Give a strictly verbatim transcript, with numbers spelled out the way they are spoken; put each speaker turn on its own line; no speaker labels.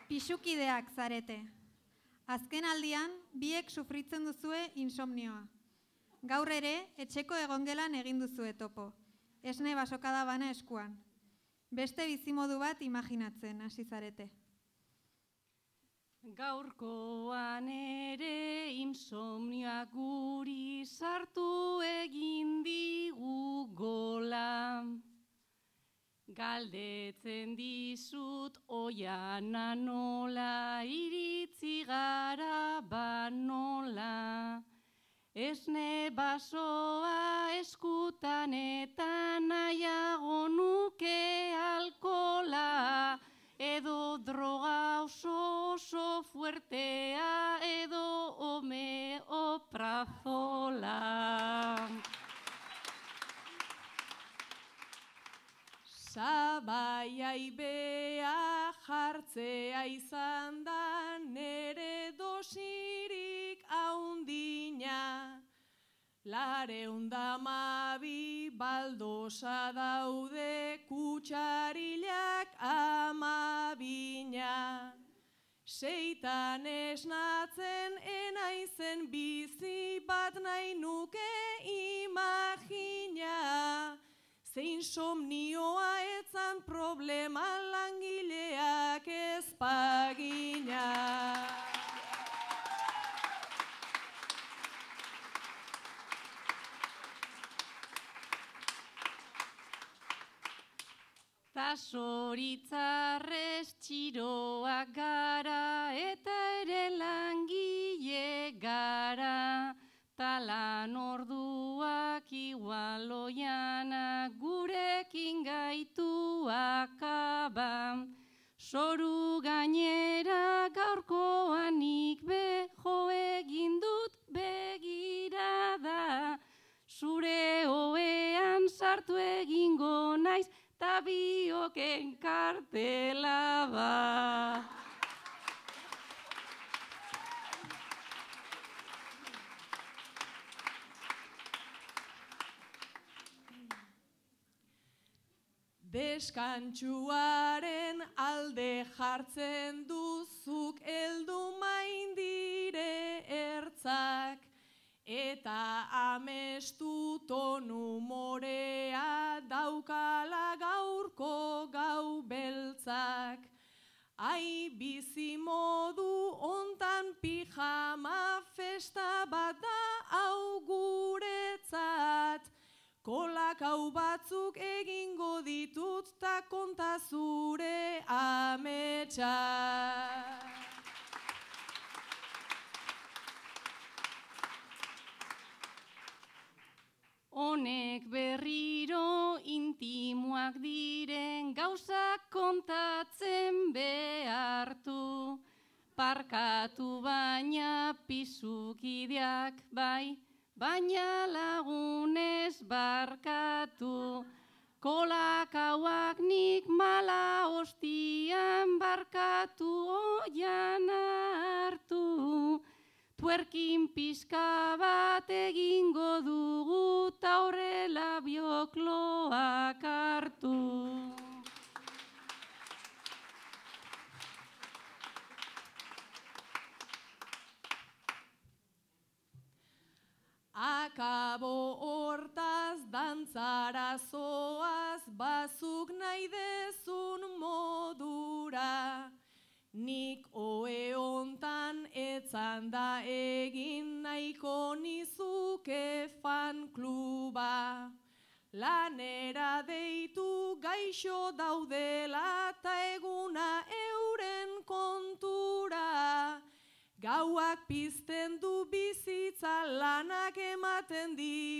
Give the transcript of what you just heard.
Pixukideak zarete. Azken aldian, biek sufritzen duzue insomnioa. Gaur ere, etxeko egongelan egin duzue topo. Esne basokada bana eskuan. Beste bizimodu bat imaginatzen hasi zarete.
Gaurkoan ere insomnioa guri sartu egin digu gola. Galdetzen dizut oiana nola, iritzi gara banola. Esne basoa eskutan eta nahiago nuke alkola, edo droga oso oso fuertea, edo homeoprazola. Sabaiai bea jartzea izan da nere dosirik haundina. Lareunda amabi baldosa daude kutsarilak amabina. Seitan esnatzen enaizen bizi bat nahi nuke imagina. Zein somnioa etzan problema langileak ezpagina. Ta zoritzarrez txiroak gara eta ere langile gara. Talan orduak igual oianak gurekin gaitu akaba. Zoru gainera gaurkoanik be jo egin dut begirada. Zure oean sartu egingo naiz ta bioken kartela ba. Deskantxuaren alde jartzen duzuk heldu maindire ertzak, eta amestu tonu morea daukala gaurko gau beltzak. Ai bizimodu ontan pijama festa bat da hau guretzat. Kolakau batzuk egingo ditut ta konta zure ametsa. Honek berriro intimoak diren gauzak kontatzen behartu. Parkatu baina pisukideak bai, baina lagunez barkatu. Kolakauak nik mala hostian barkatu oian hartu. Tuerkin pizka bat egingo dugu ta horrela biokloak hartu. Akabo hortaz dantzara zoaz bazuk nahi dezun modura. Nik oe hontan etzan da egin nahiko nizuke fan kluba. Lanera deitu gaixo daudela ta eguna euren kontura. Gauak pizten du bizitza lanak ematen di